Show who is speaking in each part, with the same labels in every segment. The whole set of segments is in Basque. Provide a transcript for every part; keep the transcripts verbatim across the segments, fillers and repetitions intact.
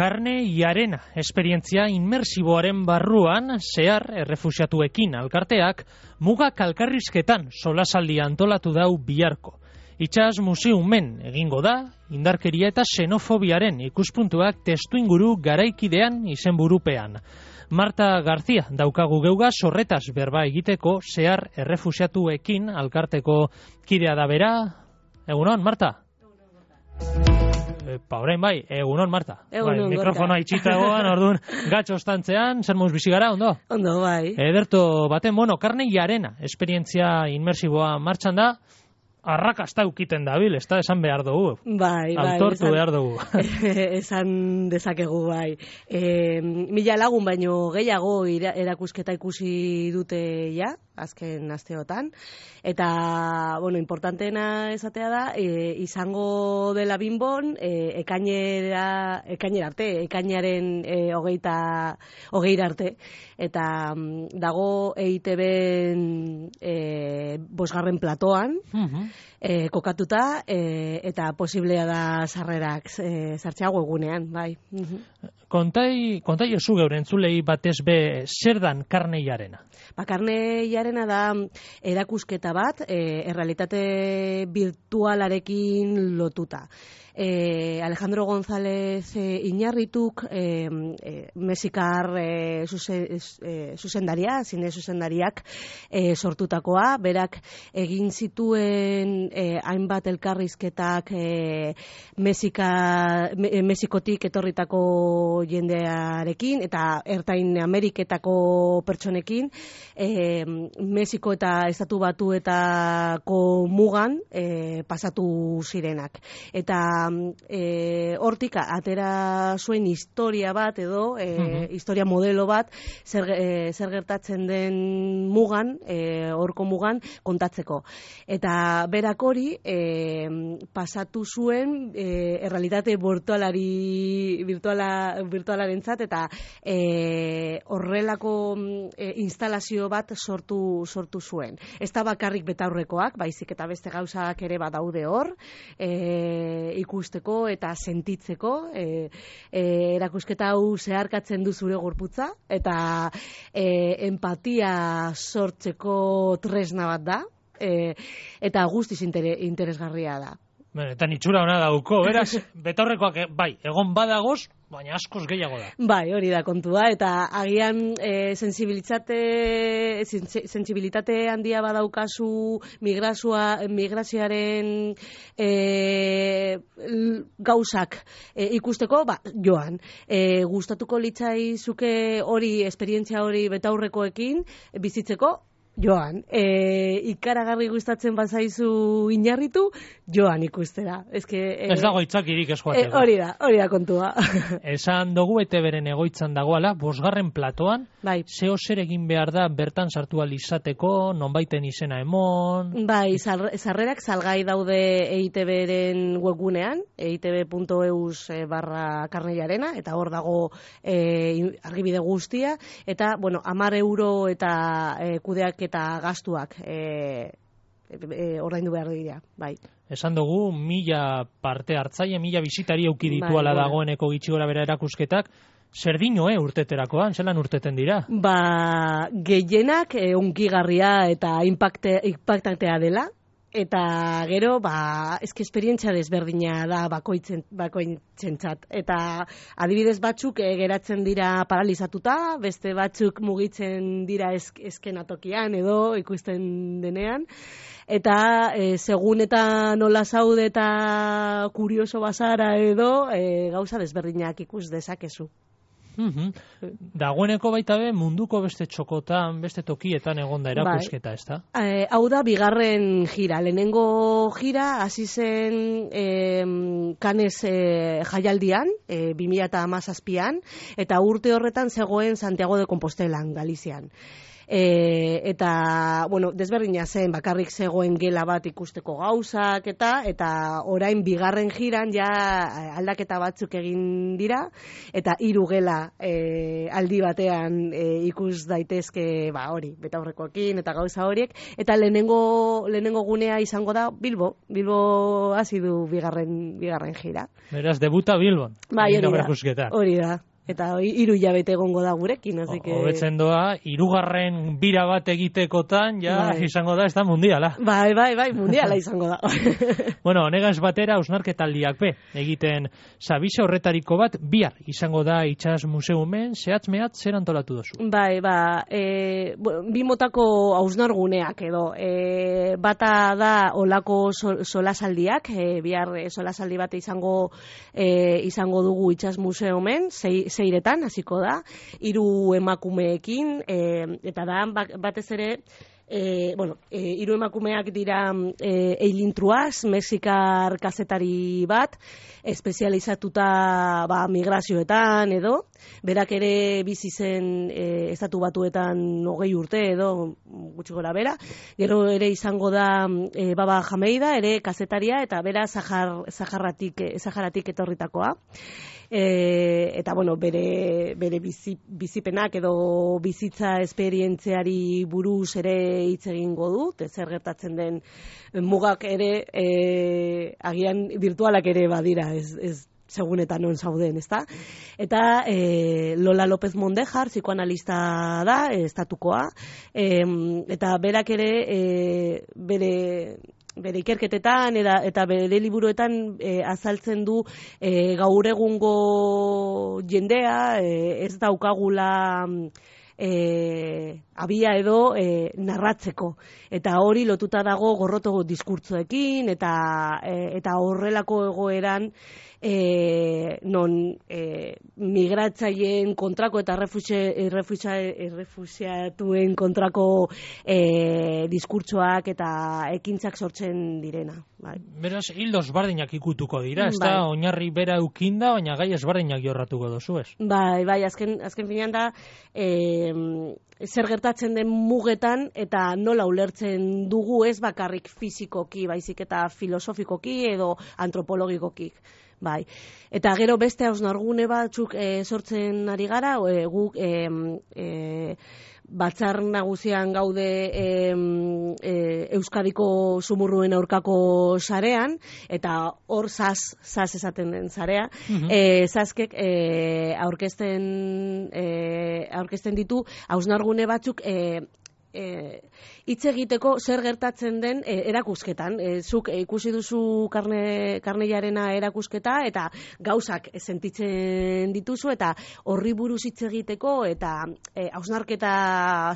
Speaker 1: Carne y Arena esperientzia inmersiboaren barruan zehar errefuxiatuekin alkarteak muga kalkarrizketan solasaldia antolatu dau biharko. Itxas museumen egingo da, indarkeria eta xenofobiaren ikuspuntuak testuinguru garaikidean izenburupean. Marta García daukagu geuga sorretaz berba egiteko zehar errefuxiatuekin alkarteko kidea da bera. Egunon, Marta? Epa, orain bai, egunon, Marta.
Speaker 2: Egunon,
Speaker 1: bai, mikrofonoa itxita egoan, orduan, gatxo ostantzean, zer moz bizi gara, ondo?
Speaker 2: Ondo, bai.
Speaker 1: Ederto baten, bueno, Carne y Arena, esperientzia inmersiboa martxan da, arrakasta ukiten dabil, ez da, esan behar dugu.
Speaker 2: Bai, bai.
Speaker 1: Autortu
Speaker 2: esan,
Speaker 1: behar dugu.
Speaker 2: Esan dezakegu, bai. E, mila lagun baino gehiago ira, erakusketa ikusi dute ja, azken asteotan. Eta, bueno, importanteena esatea da, e, izango dela Binbon, e, ekainera, ekainera arte, ekainaren e, hogeita, hogeira arte. Eta dago E I Te Be e, bosgarren platoan, uh-huh. e, kokatuta, e, eta posiblea da sarrerak e, sartzea webgunean, bai. Uh-huh.
Speaker 1: Kontai, kontai oso geure entzulei batez be zer dan Carne y Arena?
Speaker 2: Ba, Carne y Arena da erakusketa bat, e, errealitate virtualarekin lotuta. E, Alejandro González e, Iñarrituk, e, e, mexikar e, zuze, e, zuzendaria, zine zuzendariak e, sortutakoa, berak egin zituen e, hainbat elkarrizketak e, Mexika, me, Mexikotik etorritako jendearekin eta Ertain Ameriketako pertsonekin, e, Mexiko eta Estatu Batuetako mugan e, pasatu zirenak. Eta E, hortik atera zuen historia bat edo e, uh-huh. historia modelo bat zer, e, zer gertatzen den mugan, horko e, mugan kontatzeko. Eta berak hori e, pasatu zuen e, errealitate virtualari virtuala, virtualarentzat eta e, horrelako e, instalazio bat sortu sortu zuen. Ez da bakarrik betaurrekoak, baizik eta beste gauzak ere badaude hor, e, ikusteko eta sentitzeko, e, e, erakusketa hau zeharkatzen du zure gorputza eta e, empatia sortzeko tresna bat da, e, eta guztiz inter, interesgarria da.
Speaker 1: Bueno, eta nitxura hona dauko, beraz, betaurrekoak bai, egon badagoz, baina askoz gehiago da.
Speaker 2: Bai, hori da kontua, eta agian e, sensibilitate, sensibilitate handia badaukazu migrazioa, migrazioaren e, gauzak e, ikusteko, ba, joan. E, gustatuko litzaizuke hori, esperientzia hori betaurrekoekin bizitzeko, joan. E, ikaragarri gustatzen bazaizu Iñarritu, joan ikustera. Eske, e,
Speaker 1: ez dago itzakirik eskuateko.
Speaker 2: E, hori da, hori da kontua.
Speaker 1: Esan dugu E Te Beren egoitzan dagoala, bosgarren platoan,
Speaker 2: bai.
Speaker 1: Zeo zer egin behar da bertan sartu alizateko, nonbaiten izena emon?
Speaker 2: Bai, sarrerak salgai daude E I Te Beren webgunean, eitb punto eus barra Carne y Arena, eta hor dago e, argibide guztia, eta, bueno, hamar euro eta e, kudeak eta gastuak e, e, ordaindu behar dira, bai.
Speaker 1: Esan dugu, mila parte hartzaile, mila bisitari auki dituala bai, dagoeneko gitxi gora bera erakusketak, zer dino, eh, urteterakoan, zelan urteten dira?
Speaker 2: Ba, gehienak e, unkigarria eta impacte, impactantea dela, eta gero, ba, eski esperientzia desberdina da bakoitzen, bakoitzentzat. Eta adibidez batzuk e, geratzen dira paralizatuta, beste batzuk mugitzen dira esk, eskenatokian edo ikusten denean. Eta e, segun eta nola zaude eta kurioso bazara edo, e, gauza desberdinak ikus dezakezu.
Speaker 1: Uh-huh. Dagoeneko baita be munduko beste txokotan, beste tokietan egonda erakusketa, ez da?
Speaker 2: E, hau da bigarren gira. Lehenengo gira hasi zen e, Cannes e, jaialdian, e, bi mila hamazazpian, eta urte horretan zegoen Santiago de Compostelan, Galizian. e, eta, bueno, desberdina zen, bakarrik zegoen gela bat ikusteko gauzak eta, eta orain bigarren jiran ja aldaketa batzuk egin dira, eta hiru gela e, aldi batean e, ikus daitezke, ba, hori, betaurrekoekin eta gauza horiek, eta lehenengo, lehenengo gunea izango da Bilbo, Bilbo hasi du bigarren, bigarren jira.
Speaker 1: Beraz, debuta Bilbon.
Speaker 2: Bai, hori da, hori da. Eta hiru hilabete egongo da gurekin, así que...
Speaker 1: Hobetzen doa, hirugarren bira bat egitekotan, ja, bai. Izango da, ez da mundiala.
Speaker 2: Bai, bai, bai, mundiala izango da.
Speaker 1: Bueno, honegaz batera, hausnarketaldiak be, egiten sabisa horretariko bat, bihar izango da Itsas Museumen, zehatz mehatz zer antolatu dozu?
Speaker 2: Bai, ba, e, bi motako hausnarguneak edo, e, bata da olako sol, solasaldiak, e, bihar solasaldi bat izango, e, izango dugu Itsas Museumen, zei zeiretan hasiko da, hiru emakumeekin, e, eta da batez ere, e, bueno, e, hiru emakumeak dira e, Eileen Truas, mexikar kazetari bat, espezializatuta ba, migrazioetan edo, berak ere bizi zen e, estatu batuetan hogei urte edo gutxi gora bera, gero ere izango da e, Baba Jameida, ere kazetaria, eta bera Zahar, Zaharatik, Zaharatik etorritakoa. E, eta bueno, bere, bere bizi, bizipenak edo bizitza esperientziari buruz ere hitz egingo dut, zer gertatzen den mugak ere e, agian virtualak ere badira, ez, ez segun eta non zauden, ezta? Eta e, Lola López Mondejar, psikoanalista da, estatukoa, e, eta berak ere e, bere bere ikerketetan eta, eta bere liburuetan e, azaltzen du e, gaur egungo jendea e, ez daukagula e, abia edo e, narratzeko. Eta hori lotuta dago gorroto diskurtzoekin eta, e, eta horrelako egoeran E, non e, migratzaileen kontrako eta errefuxiatuen kontrako e, diskurtsoak eta ekintzak sortzen direna. Bai.
Speaker 1: Beraz, hildos bardinak ikutuko dira, ez da, bai. Oinarri bera eukinda, baina gai ezbardinak jorratuko dozu, ez?
Speaker 2: Bai, bai, azken, azken finean da, e, zer gertatzen den mugetan eta nola ulertzen dugu ez bakarrik fizikoki, baizik eta filosofikoki edo antropologikoki. Bai. Eta gero beste hausnargune batzuk e, sortzen ari gara, e, guk e, e, batzar nagusian gaude e, e, Euskadiko sumurruen aurkako sarean, eta hor zaz, zaz esaten den sarea, mm-hmm. e, zazkek e, aurkezten, e, aurkezten ditu hausnargune batzuk e, hitz e, egiteko zer gertatzen den e, erakusketan. E, zuk e, ikusi duzu karne, karneiarena erakusketa eta gauzak sentitzen dituzu eta horri buruz hitz egiteko eta e, hausnarketa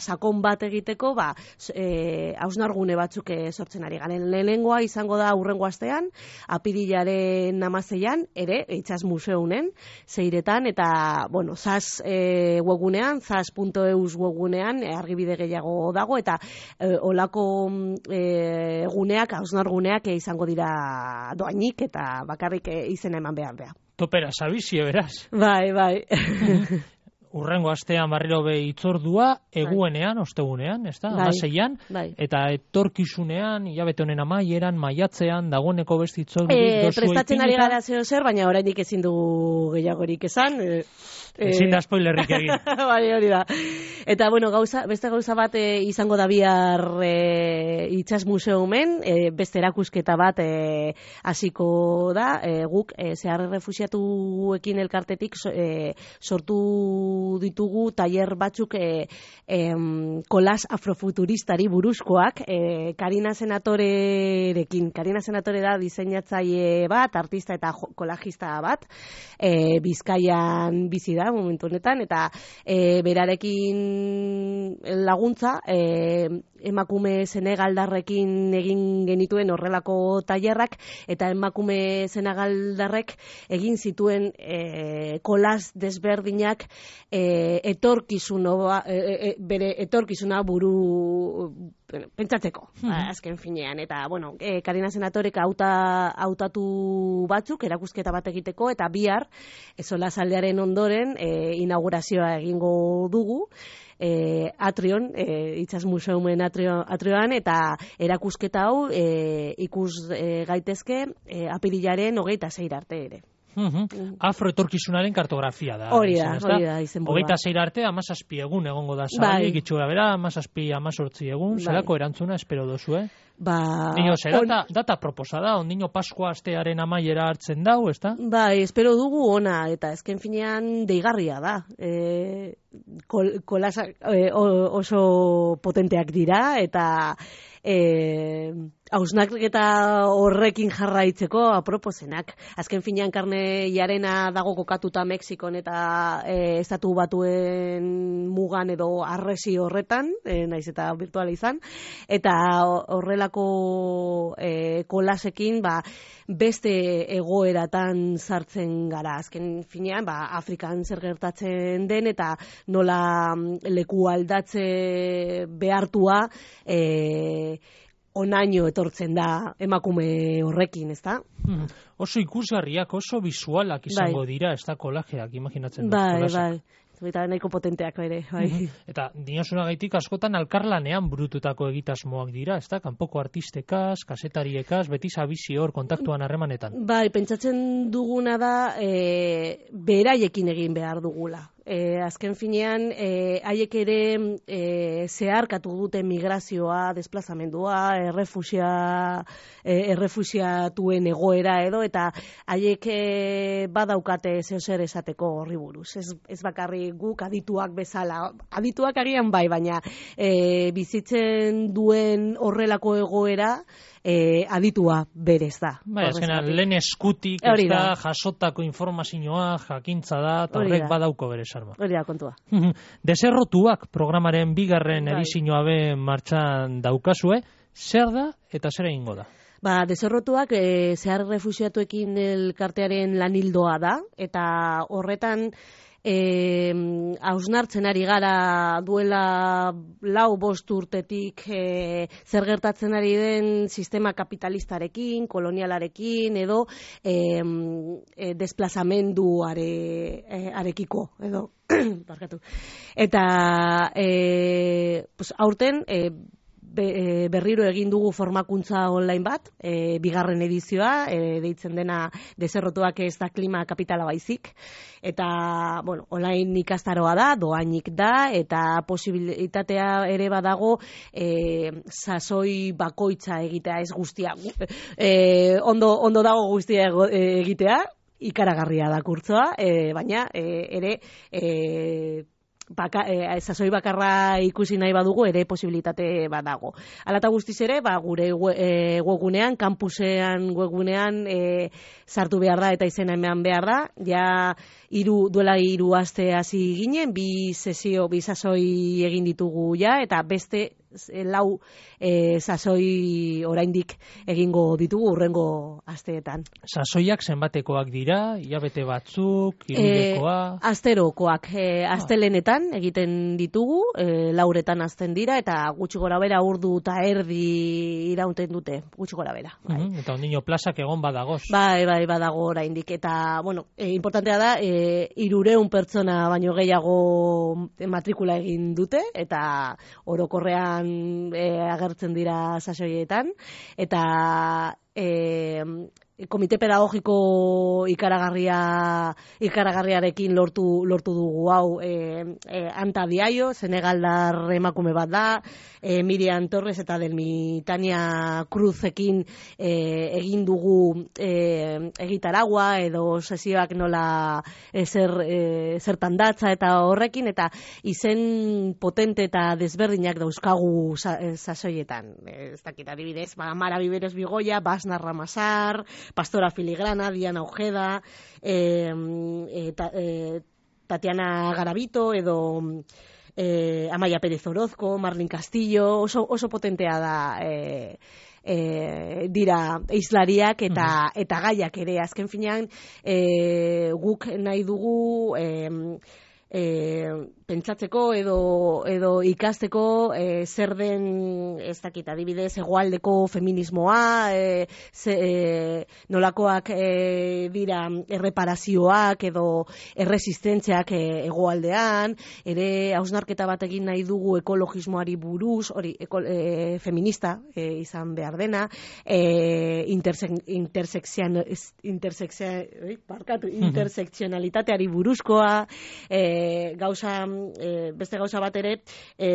Speaker 2: sakon bat egiteko ba, e, hausnargune batzuk e, sortzen ari garen. Lehenengoa izango da hurrengo astean, apirilaren hamaseian, ere, Itsas Museunen, zeiretan, eta, bueno, zaz e, webunean, zaz puntu eus webunean, e, argibide gehiago dago, eta e, olako e, guneak, hausnarguneak e, izango dira doainik, eta bakarrik e, izena eman behar beha.
Speaker 1: Topera, sabizie, beraz.
Speaker 2: Bai, bai.
Speaker 1: Urrengo astean barriro be itzordua, eguenean, ostegunean, ez da,
Speaker 2: bai.
Speaker 1: Amaseian,
Speaker 2: bai.
Speaker 1: Eta etorkizunean, hilabete honen amaieran, maiatzean, dagoeneko beste itzordurik
Speaker 2: e, dozu prestatzen ari gara zeo zer, baina oraindik ezin dugu gehiagorik esan. E,
Speaker 1: ezin da spoilerrik egin.
Speaker 2: Bai, hori da. Eta, bueno, gauza, beste gauza bat e, izango da bihar e, Itsas Museumen, e, beste erakusketa bat e, hasiko da, e, guk e, zehar refuxiatuekin elkartetik e, sortu ditugu tailer batzuk e, e, kolas afrofuturistari buruzkoak e, Karina Senatorerekin. Karina Senatore da diseinatzaile bat, artista eta kolajista bat, e, Bizkaian bizi da momentu honetan, eta e, berarekin laguntza e, emakume senegaldarrekin egin genituen horrelako tailerrak, eta emakume senegaldarrek egin zituen e, kolas desberdinak e, etorkizun e, e, bere etorkizuna buru bueno, pentsatzeko, mm-hmm. azken finean. Eta, bueno, e, Karina Senatorek auta, autatu batzuk, erakusketa bat egiteko, eta bihar, solasaldiaren ondoren, e, inaugurazioa egingo dugu, e, Atrion, e, Itsas Museumen atrio, Atrioan, eta erakusketa hau e, ikus e, gaitezke e, apirilaren hogeita zeir arte ere.
Speaker 1: Uhum. Afroetorkizunaren kartografia da.
Speaker 2: Hori da, hori da, izen burua.
Speaker 1: Hogeita zeir arte, amazazpi egun egongo da zabalik, bai. Itxura bera, amazazpi, amazortzi egun, bai. Zerako erantzuna espero dozu, eh?
Speaker 2: Ba...
Speaker 1: Dino, zer, on... data, data proposa da, ondino Paskua astearen amaiera hartzen dau, ez da?
Speaker 2: Bai, espero dugu ona, eta ezken finean deigarria da. E, kol, kolasa, e, oso potenteak dira, eta... E, hausnaketa horrekin jarraitzeko aproposenak. Azken finean karne jarena dago kokatuta Mexikon eta e, estatu batuen mugan edo arresi horretan, e, naiz eta virtuala izan, eta horrelako e, kolasekin ba, beste egoeratan sartzen gara. Azken finean, ba, Afrikan zer gertatzen den eta nola leku aldatze behartua e, onaino etortzen da emakume horrekin, ezta?
Speaker 1: Mm. Oso ikusgarriak, oso visualak izango bai. Dira, ez da kolajeak, imaginatzen dut.
Speaker 2: Bai, bai. Eta nahiko potenteak ere, bai.
Speaker 1: Mm-hmm. Eta dinosunagaitik askotan alkarlanean burututako egitasmoak dira, ez da? Kanpoko artistekaz, kasetariekaz, beti zabizi hor kontaktuan harremanetan.
Speaker 2: Bai, pentsatzen duguna da e, beraiekin egin behar dugula. E, azken finean, e, haiek ere e, zeharkatu dute migrazioa, desplazamendua, errefusia, e, errefusiatuen egoera edo, eta haiek e, badaukate zeozer esateko horri buruz. Ez, ez bakarri guk adituak bezala, adituak agian bai, baina e, bizitzen duen horrelako egoera, E, aditua berez da.
Speaker 1: Bai, azkenan, lehen eskutik, ez da, jasotako informazioa, jakintza da, eta horrek badauko berez arma.
Speaker 2: Hori da, kontua.
Speaker 1: Deserrotuak programaren bigarren bai. Edizioa be martxan daukazue, zer da eta zer egingo da?
Speaker 2: Ba, deserrotuak e, zehar refusiatuekin elkartearen lanildoa da, eta horretan E, hausnartzen ari gara duela lau bost urtetik e, zer gertatzen ari den sistema kapitalistarekin, kolonialarekin edo e, e, desplazamenduare e, arekiko edo barkatu. Eta e, pues, aurten e, Be, berriro egin dugu formakuntza online bat, e, bigarren edizioa, e, deitzen dena deserrotuak ez da klima kapitala baizik, eta, bueno, online ikastaroa da, doainik da, eta posibilitatea ere badago e, sasoi bakoitza egitea, ez guztia, e, ondo, ondo dago guztia egitea, ikaragarria da kurtzoa, e, baina e, ere... E, Baka, e, sasoi bakarra ikusi nahi badugu ere posibilitate badago. Hala eta guztiz ere, ba, gure e, webgunean, kampusean webgunean e, sartu behar da eta izena eman behar da. Ja iru, duela hiru aste hasi ginen, bi sesio, bi sasoi egin ditugu ja, eta beste lau e, sasoi oraindik egingo ditugu urrengo asteetan.
Speaker 1: Sasoiak zenbatekoak dira, hilabete batzuk, hiruhilekoa?
Speaker 2: E, asterokoak, e, astelenetan egiten ditugu, e, lauretan azten dira, eta gutxi gora bera urdu eta erdi iraunten dute, gutxi gora bera. Bai.
Speaker 1: Mm-hmm. Eta ondino plazak egon badagoz.
Speaker 2: Bai, bai, badago oraindik, eta, bueno, e, importantea da, e, irureun pertsona baino gehiago matrikula egin dute, eta orokorrean E, agertzen dira sasoietan, eta e, komite pedagogiko ikaragarria ikaragarriarekin lortu lortu dugu hau e, e, Anta Diaio, Senegaldar emakume bat da, e, Miriam Torres eta Delmi Tania Cruzekin e, egin dugu e, egitaragua edo sesioak nola e, zer, e, zertan datza eta horrekin, eta izen potente eta desberdinak dauzkagu sa, e, sasoietan. Ez dakit adibidez, ba, Mara Biberos Bigoia, Basna Ramasar, Pastora Filigrana, Diana Ojeda, eh, eh, ta, eh, Tatiana Garavito edo eh, Amaia Pérez Orozco, Marlin Castillo, oso, oso potentea da eh, eh, dira hizlariak eta, mm-hmm. eta gaiak ere. Azken finean eh, guk nahi dugu... Eh, e, pentsatzeko edo, edo ikasteko e, zer den, ez dakit, adibidez, hegoaldeko feminismoa, e, ze, e, nolakoak e, dira erreparazioak edo erresistentziak e, hegoaldean, ere hausnarketa bat egin nahi dugu ekologismoari buruz, hori eko, e, feminista e, izan behar dena, e, interse, intersexian, intersexian, barkatu, intersekzionalitateari buruzkoa, e, gauza, e, beste gauza bat ere, e,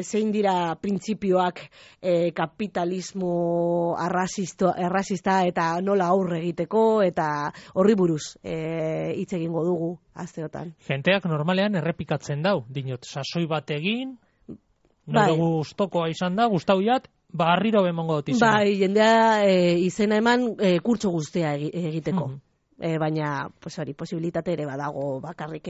Speaker 2: zein dira printzipioak e, kapitalismo arrazista, arrazista eta nola aurre egiteko, eta horri buruz e, hitz egingo dugu asteotan.
Speaker 1: Jenteak normalean errepikatzen dau, dinot, sasoi bat egin,
Speaker 2: bai.
Speaker 1: nire gustokoa izan da, gustauiat, ba, harriro bemongo dut izan.
Speaker 2: Bai, jendea e, izena eman e, kurtso guztia egiteko. Mm-hmm. E, baina, pues hori, posibilitate ere badago bakarrik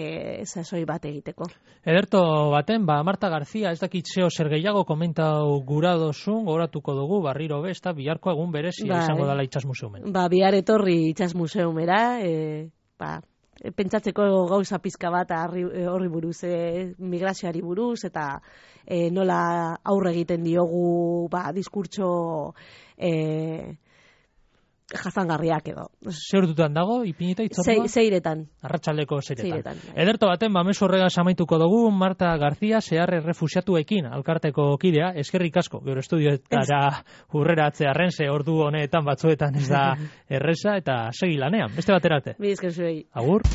Speaker 2: sasoi bat egiteko.
Speaker 1: Ederto baten, ba, Marta García, ez dakit zeo zer gehiago komentau gura dozun, goratuko dugu, barriro besta, biharko egun berezia bai. Izango dala Itsas Museumen.
Speaker 2: Ba, bihar etorri Itsas Museumera, e, ba, pentsatzeko gauza pizka bat horri buruz, e, migrazioari buruz, eta e, nola aurre egiten diogu, ba, diskurtso e, jasangarriak edo.
Speaker 1: Zer dutan dago, ipinita itzordua?
Speaker 2: Zeiretan.
Speaker 1: Arratsaldeko zeiretan.
Speaker 2: Zeiretan.
Speaker 1: Ederto baten, ba, mezu horrega samaituko dugu, Marta García, zehar errefusiatuekin, alkarteko kidea, eskerrik asko, gero estudioetara hurrera atzearen, ze ordu honetan batzuetan ez da erresa, eta segi lanean, beste baterate.
Speaker 2: Bi esker zuei.
Speaker 1: Agur.